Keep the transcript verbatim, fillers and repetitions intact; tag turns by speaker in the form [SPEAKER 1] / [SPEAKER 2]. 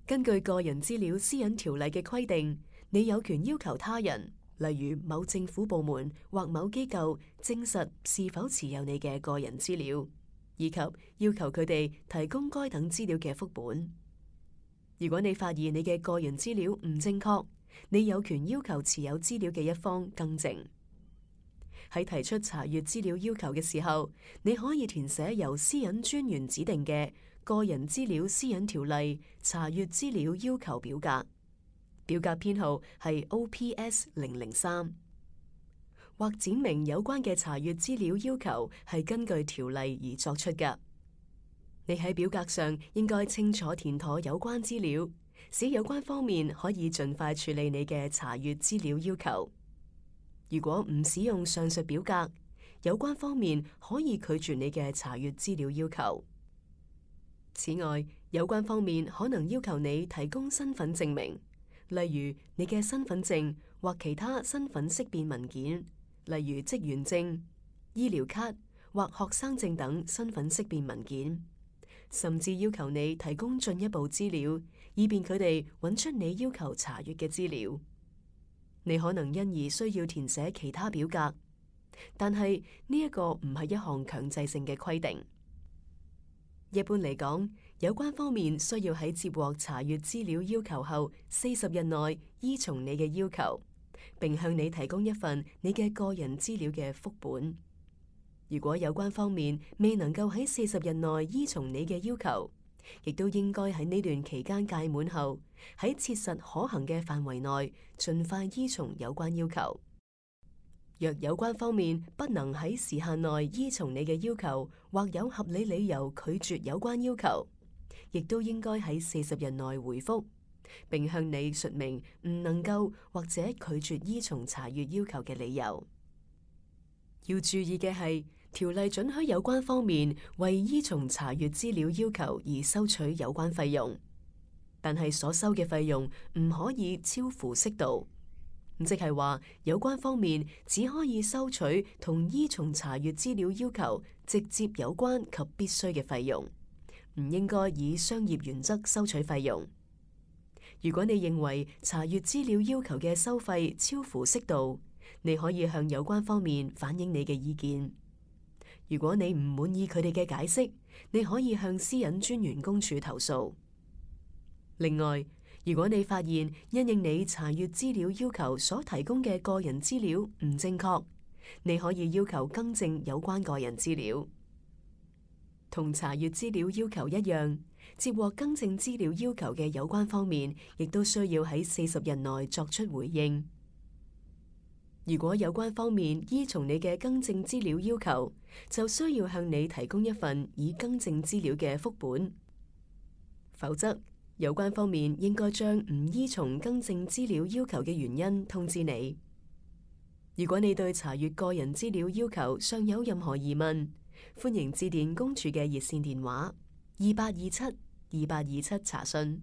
[SPEAKER 1] 根據個人資料私隱條例嘅規定，你有權要求他人，例如某政府部門或某機構，證實是否持有你嘅個人資料，以及要求佢哋提供該等資料嘅副本。如果你發現你嘅個人資料唔正確，你有權要求持有資料嘅一方更正。喺提出查閱資料要求嘅時候，你可以填寫由私隱專員指定嘅個人資料私隱條例查閱資料要求表格，表格編號係 O P S 零零三，或展明有關嘅查閱資料要求係根據條例而作出嘅。你喺表格上應該清楚填妥有關資料，使有關方面可以盡快處理你嘅查閱資料要求。如果唔使用上述表格，有關方面可以拒絕你嘅查閱資料要求。此外，有關方面可能要求你提供身份證明，例如你嘅身份證或其他身份識別文件，例如職員證、醫療卡或學生證等身份識別文件，甚至要求你提供進一步資料，以便佢哋揾出你要求查閱嘅資料。你可能因而需要填寫其他表格，但係呢一個唔係一項強制性嘅規定。一般嚟講，有關方面需要喺接獲查閱資料要求後四十日內依從你嘅要求，並向你提供一份你嘅個人資料嘅副本。如果有關方面未能夠喺四十日內依從你嘅要求，亦都應該喺呢段期間屆滿後，喺切實可行嘅範圍內，盡快依從有關要求。若有關方面不能喺時限內依從你嘅要求，或有合理理由拒絕有關要求，亦都應該喺四十日內回覆，並向你說明唔能夠或者拒絕依從查閱要求嘅理由。要注意嘅係，條例准許有關方面為依從查閱資料要求而收取有關費用，但係所收嘅費用唔可以超乎適度，即係話有關方面只可以收取同依從查閱資料要求直接有關及必須嘅費用，唔應該以商業原則收取費用。如果你認為查閱資料要求嘅收費超乎適度，你可以向有關方面反映你嘅意見。如果你唔滿意佢哋嘅解釋，你可以向私隱專員公署投訴。另外，如果你發現因應你查閱資料要求所提供嘅個人資料唔正確，你可以要求更正有關個人資料。同查閱資料要求一樣，接獲更正資料要求嘅有關方面，亦都需要喺四十日內作出回應。如果有關方面依從你嘅更正資料要求，就需要向你提供一份已更正資料嘅副本。否則，有關方面應該將唔依從更正資料要求嘅原因通知你。如果你對查閱個人資料要求尚有任何疑問，歡迎致電公署嘅熱線電話二八二七二八二七查詢。